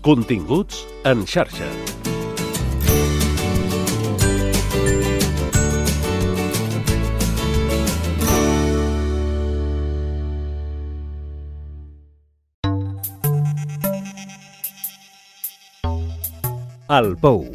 Continguts en xarxa. El Pou.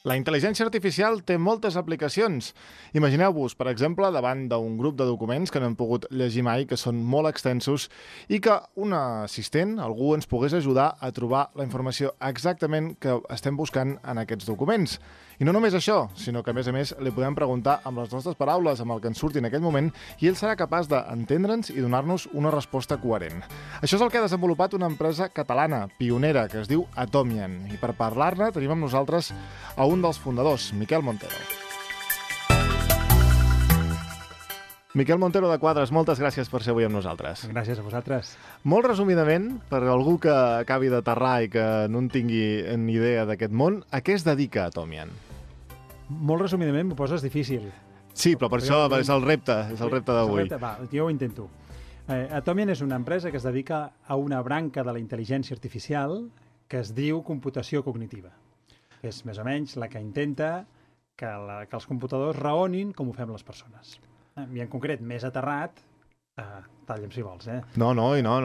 La intel·ligència artificial té moltes aplicacions. Imagineu-vos, per exemple, davant d'un grup de documents que no hem pogut llegir mai, que són molt extensos, i que un assistent, algú, ens pogués ajudar a trobar la informació exactament que estem buscant en aquests documents. I no només això, sinó que, a més, li podem preguntar amb les nostres paraules, amb el que ens surti en aquell moment, i ell serà capaç d'entendre'ns i donar-nos una resposta coherent. Això és el que ha desenvolupat una empresa catalana, pionera, que es diu Atomian. I per parlar-ne tenim amb nosaltres a un dels fundadors, Miquel Montero. Miquel Montero de Quadres, moltes gràcies per ser avui amb nosaltres. Gràcies a vosaltres. Molt resumidament, per algú que acabi d'aterrar i que no en tingui ni idea d'aquest món, a què es dedica Atomian? Molt resumidament m'ho poses difícil. Sí, però per això és el repte d'avui. Va, jo ho intento. Atomian és una empresa que es dedica a una branca de la intel·ligència artificial que es diu computació cognitiva. És més o menys la que intenta que els computadors raonin com ho fem les persones. I en concret, més aterrat, talla'm si vols, No,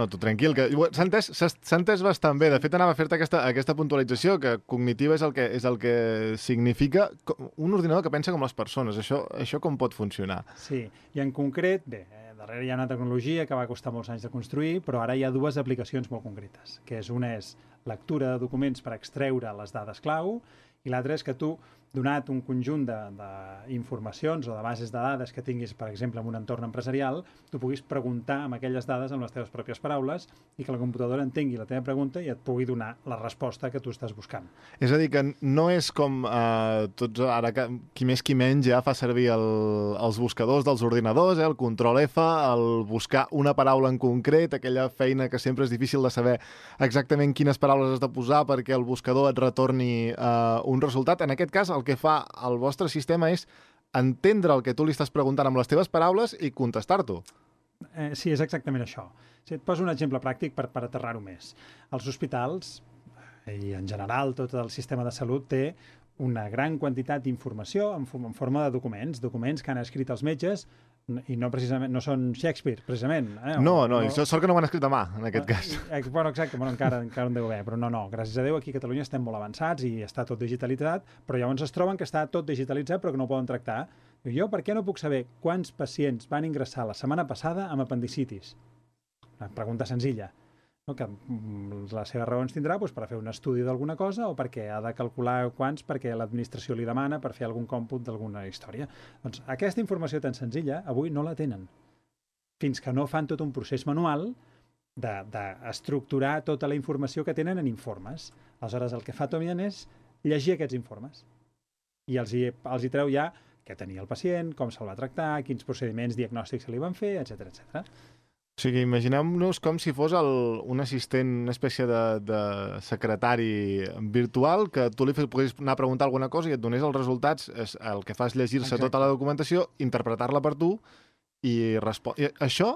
tu tranquil. S'ha entès bastant bé. De fet, anava a fer-te aquesta puntualització, que cognitiva és el que significa un ordinador que pensa com les persones. Això com pot funcionar? Sí, i en concret, bé, darrere hi ha una tecnologia que va costar molts anys de construir, però ara hi ha dues aplicacions molt concretes, que una és lectura de documents per extreure les dades clau, i l'altra és que tu, donat un conjunt d'informacions o de bases de dades que tinguis, per exemple, en un entorn empresarial, tu puguis preguntar amb aquelles dades amb les teves pròpies paraules i que la computadora entengui la teva pregunta i et pugui donar la resposta que tu estàs buscant. És a dir, que no és com tots ara, qui més qui menys ja fa servir els buscadors dels ordinadors, el control F, el buscar una paraula en concret, aquella feina que sempre és difícil de saber exactament quines paraules has de posar perquè el buscador et retorni un resultat. En aquest cas, el que fa el vostre sistema és entendre el que tu li estàs preguntant amb les teves paraules i contestar-t'ho. Sí, és exactament això. Et poso un exemple pràctic per aterrar-ho més. Els hospitals, i en general tot el sistema de salut, té una gran quantitat d'informació en forma de documents que han escrit els metges, i no són Shakespeare, precisament. No, sort que no ho han escrit a mà, en aquest cas. Bueno, exacte, encara en deu haver, però no, gràcies a Déu aquí a Catalunya estem molt avançats i està tot digitalitzat, però llavors es troben que està tot digitalitzat però que no ho poden tractar. Jo per què no puc saber quants pacients van ingressar la setmana passada amb apendicitis? Una pregunta senzilla. Que les seves raons tindrà per fer un estudi d'alguna cosa o perquè ha de calcular quants perquè l'administració li demana per fer algun còmput d'alguna història. Doncs aquesta informació tan senzilla avui no la tenen. Fins que no fan tot un procés manual d'estructurar tota la informació que tenen en informes. Aleshores, el que fa Atomian és llegir aquests informes. I els hi treu ja què tenia el pacient, com se'l va tractar, quins procediments diagnòstics se li van fer, etc. O sigui, imaginem-nos com si fos un assistent, una espècie de secretari virtual, que tu li poguessis anar a preguntar alguna cosa i et donés els resultats. El que fa és llegir-se tota la documentació, interpretar-la per tu i respondre. Això,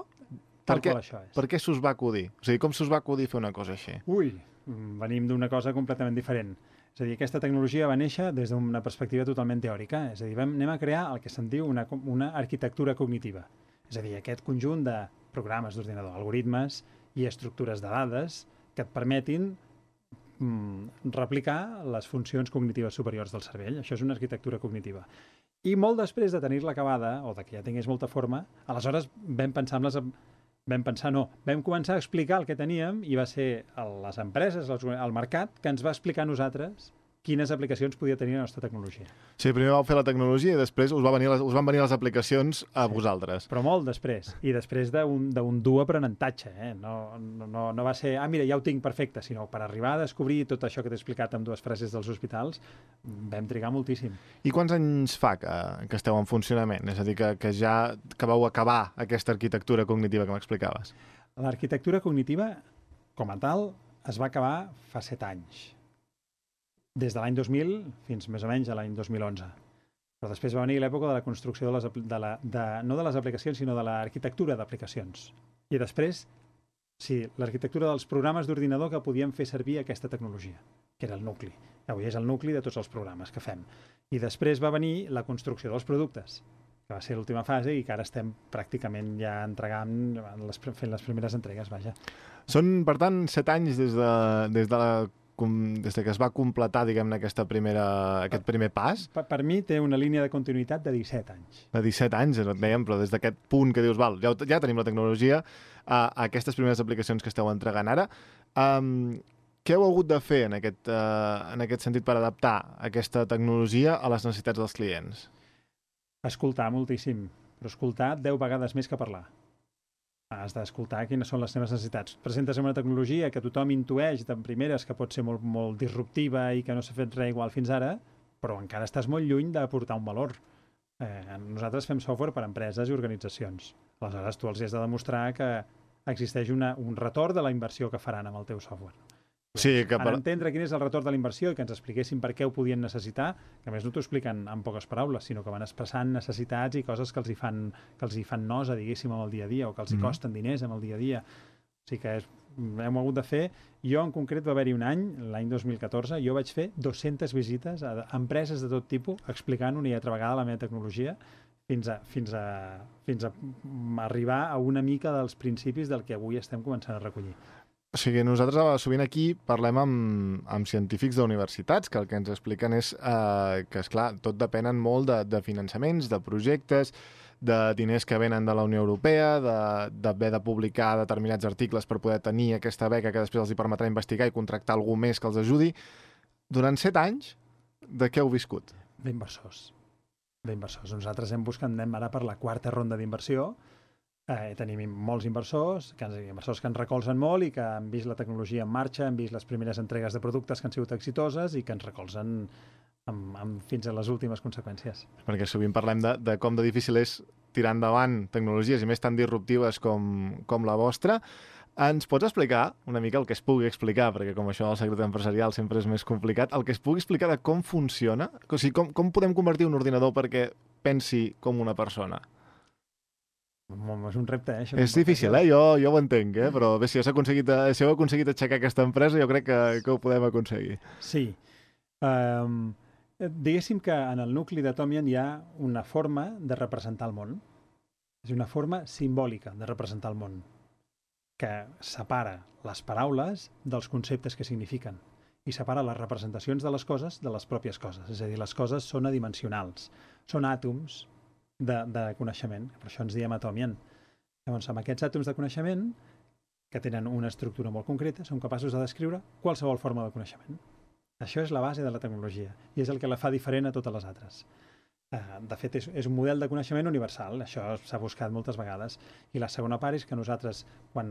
per què s'us va acudir? O sigui, com s'us va acudir fer una cosa així? Venim d'una cosa completament diferent. És a dir, aquesta tecnologia va néixer des d'una perspectiva totalment teòrica. És a dir, anem a crear el que se'n diu una arquitectura cognitiva. És a dir, aquest conjunt de programes d'ordinador, algoritmes i estructures de dades que et permetin replicar les funcions cognitives superiors del cervell. Això és una arquitectura cognitiva. I molt després de tenir-la acabada, o de que ja tingués molta forma, aleshores vam començar a explicar el que teníem i va ser les empreses, el mercat, que ens va explicar a nosaltres quines aplicacions podia tenir la nostra tecnologia. Sí, primer vau fer la tecnologia i després us van venir les aplicacions a vosaltres. Però molt després, i després d'un dur aprenentatge. No va ser, mira, ja ho tinc perfecte, sinó per arribar a descobrir tot això que t'he explicat amb dues frases dels hospitals, vam trigar moltíssim. I quants anys fa que esteu en funcionament? És a dir, que vau acabar aquesta arquitectura cognitiva que m'explicaves? L'arquitectura cognitiva, com a tal, es va acabar fa 7 anys. Des de l'any 2000 fins més o menys a l'any 2011. Però després va venir l'època de la construcció no de les aplicacions, sinó de l'arquitectura d'aplicacions. I després Sí, l'arquitectura dels programes d'ordinador que podien fer servir aquesta tecnologia, que era el nucli. Avui és el nucli de tots els programes que fem. I després va venir la construcció dels productes, que va ser l'última fase i que ara estem pràcticament ja entregant, fent les primeres entregues, vaja. Són, per tant, 7 anys des de que es va completar, diguem-ne, aquest primer pas. Per mi té una línia de continuïtat de 17 anys. De 17 anys, et dèiem, però des d'aquest punt que dius, val, ja tenim la tecnologia, aquestes primeres aplicacions que esteu entregant ara, què heu hagut de fer en aquest sentit per adaptar aquesta tecnologia a les necessitats dels clients? Escoltar moltíssim, però escoltar 10 vegades més que parlar. Has d'escoltar quines són les teves necessitats. Presentes una tecnologia que tothom intueix de primeres que pot ser molt, molt disruptiva i que no s'ha fet res igual fins ara, però encara estàs molt lluny d'aportar un valor. Nosaltres fem software per a empreses i organitzacions. Aleshores, tu els has de demostrar que existeix un retorn de la inversió que faran amb el teu software. Sí, En entendre quin és el retorn de la inversió i que ens expliquessin per què ho podien necessitar, que a més no t'ho expliquen en poques paraules, sinó que van expressant necessitats i coses que els hi fan nosa, diguéssim, amb el dia a dia, o que els hi costen diners amb el dia a dia. O sigui que hem hagut de fer... Jo, en concret, va haver-hi un any, l'any 2014, jo vaig fer 200 visites a empreses de tot tipus, explicant una i altra vegada la meva tecnologia, fins a arribar a una mica dels principis del que avui estem començant a recollir. O sigui, nosaltres sovint aquí parlem amb científics d'universitats, que el que ens expliquen és que, esclar, tot depenen molt de finançaments, de projectes, de diners que venen de la Unió Europea, d'haver de publicar determinats articles per poder tenir aquesta beca que després els hi permetrà investigar i contractar algú més que els ajudi. Durant 7 anys, de què heu viscut? D'inversors. Nosaltres anem ara per la 4ª ronda d'inversió. Tenim molts inversors que ens recolzen molt i que han vist la tecnologia en marxa, han vist les primeres entregues de productes que han sigut exitoses i que ens recolzen fins a les últimes conseqüències. Perquè sovint parlem de com de difícil és tirar endavant tecnologies i més tan disruptives com la vostra. Ens pots explicar una mica el que es pugui explicar, perquè com això del secret empresarial sempre és més complicat, el que es pugui explicar de com funciona? O sigui, com podem convertir un ordinador perquè pensi com una persona? És un repte, això. És difícil, jo ho entenc, però bé, si heu aconseguit aixecar aquesta empresa, jo crec que ho podem aconseguir. Sí. Diguéssim que en el nucli d'Atomian hi ha una forma de representar el món. És una forma simbòlica de representar el món, que separa les paraules dels conceptes que signifiquen i separa les representacions de les coses de les pròpies coses. És a dir, les coses són adimensionals, són àtoms de coneixement, per això ens diem Atomian. Llavors, amb aquests àtoms de coneixement, que tenen una estructura molt concreta, són capaços de descriure qualsevol forma de coneixement. Això és la base de la tecnologia i és el que la fa diferent a totes les altres. De fet, és un model de coneixement universal, això s'ha buscat moltes vegades. I la segona part és que nosaltres, quan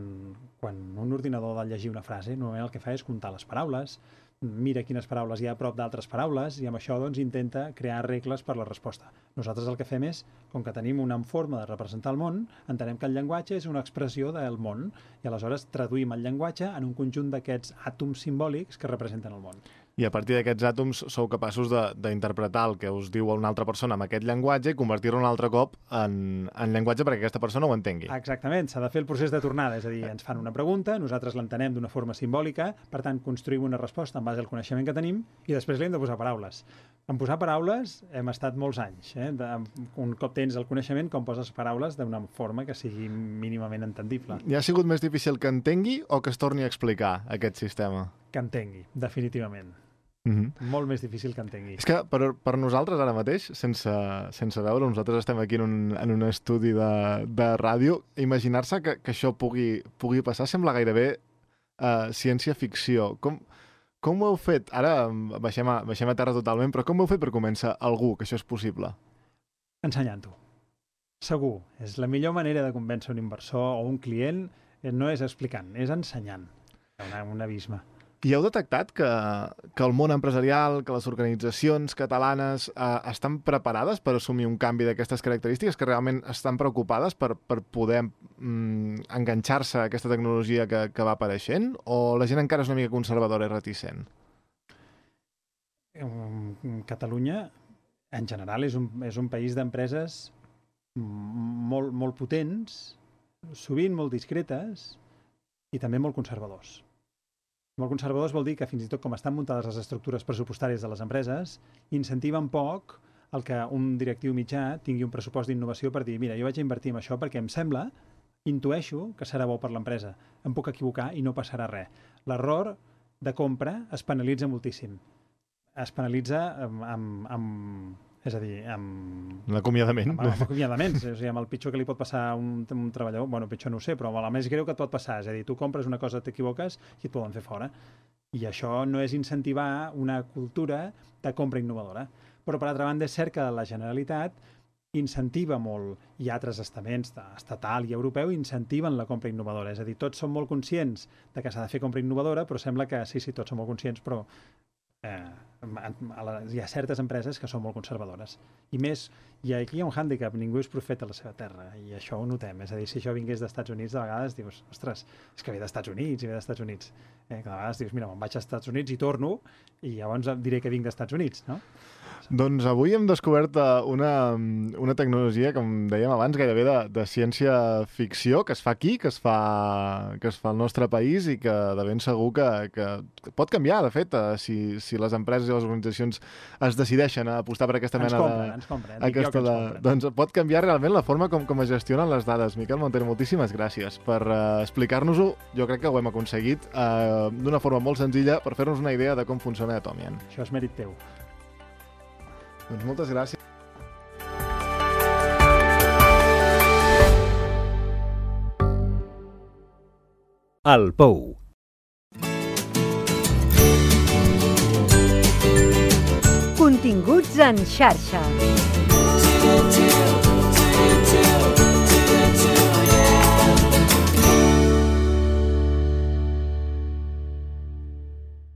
un ordinador ha de llegir una frase, normalment el que fa és comptar les paraules, mira quines paraules hi ha a prop d'altres paraules i amb això doncs, intenta crear regles per la resposta. Nosaltres el que fem és, com que tenim una forma de representar el món, entenem que el llenguatge és una expressió del món i aleshores traduïm el llenguatge en un conjunt d'aquests àtoms simbòlics que representen el món. I a partir d'aquests àtoms sou capaços d'interpretar el que us diu una altra persona amb aquest llenguatge i convertir-lo un altre cop en llenguatge perquè aquesta persona ho entengui. Exactament, s'ha de fer el procés de tornada, és a dir, ens fan una pregunta, nosaltres l'entenem d'una forma simbòlica, per tant, construïm una resposta en base al coneixement que tenim i després li hem de posar paraules. En posar paraules hem estat molts anys. Un cop tens el coneixement, com poses paraules d'una forma que sigui mínimament entendible. I ha sigut més difícil que entengui o que es torni a explicar aquest sistema? Que entengui, definitivament. Molt més difícil que entengui. És que per nosaltres ara mateix, sense veure, nosaltres estem aquí en un estudi de ràdio, imaginar-se que això pugui passar sembla gairebé ciència-ficció. Com ho heu fet? Ara baixem a terra totalment, però com ho heu fet per convèncer algú que això és possible? Ensenyant-ho. Segur. És la millor manera de convèncer un inversor o un client no és explicant, és ensenyant. Un abisme. I heu detectat que el món empresarial, que les organitzacions catalanes estan preparades per assumir un canvi d'aquestes característiques, que realment estan preocupades per poder enganxar-se a aquesta tecnologia que va apareixent? O la gent encara és una mica conservadora i reticent? Catalunya, en general, és un país d'empreses molt potents, sovint molt discretes, i també molt conservadors. Molt conservadors vol dir que fins i tot com estan muntades les estructures pressupostàries de les empreses, incentiven poc el que un directiu mitjà tingui un pressupost d'innovació per dir, mira, jo vaig a invertir en això perquè em sembla, intueixo que serà bo per l'empresa. Em puc equivocar i no passarà res. L'error de compra es penalitza moltíssim. Es penalitza és a dir, amb l'acomiadament. Amb acomiadaments, és a dir, amb el pitjor que li pot passar a un treballador, bueno, pitjor no ho sé, però el més greu que et pot passar, és a dir, tu compres una cosa, t'equivoques i et poden fer fora. I això no és incentivar una cultura de compra innovadora. Però, per altra banda, és cert que la Generalitat incentiva molt, i altres estaments, estatal i europeu, incentiven la compra innovadora. És a dir, tots som molt conscients de que s'ha de fer compra innovadora, però sembla que sí, tots som molt conscients, però hi ha certes empreses que són molt conservadores. I més, i aquí hi ha un hàndicap, ningú és profeta a la seva terra, i això ho notem. És a dir, si això vingués dels Estats Units, de vegades dius, ostres, és que ve dels Estats Units, i ve dels Estats Units. Que de vegades dius, mira, me'n vaig als Estats Units i torno, i llavors diré que vinc dels Estats Units, no? Doncs avui hem descobert una tecnologia, com dèiem abans, gairebé de ciència-ficció, que es fa aquí, que es fa al nostre país i que de ben segur que pot canviar, de fet, si les empreses i les organitzacions es decideixen a apostar per aquesta mena de... Doncs pot canviar realment la forma com es gestionen les dades. Miquel Montero, moltíssimes gràcies per explicar-nos-ho. Jo crec que ho hem aconseguit d'una forma molt senzilla per fer-nos una idea de com funciona Atomian. Això és mèrit teu. Doncs moltes gràcies. El Pou. Continguts en xarxa.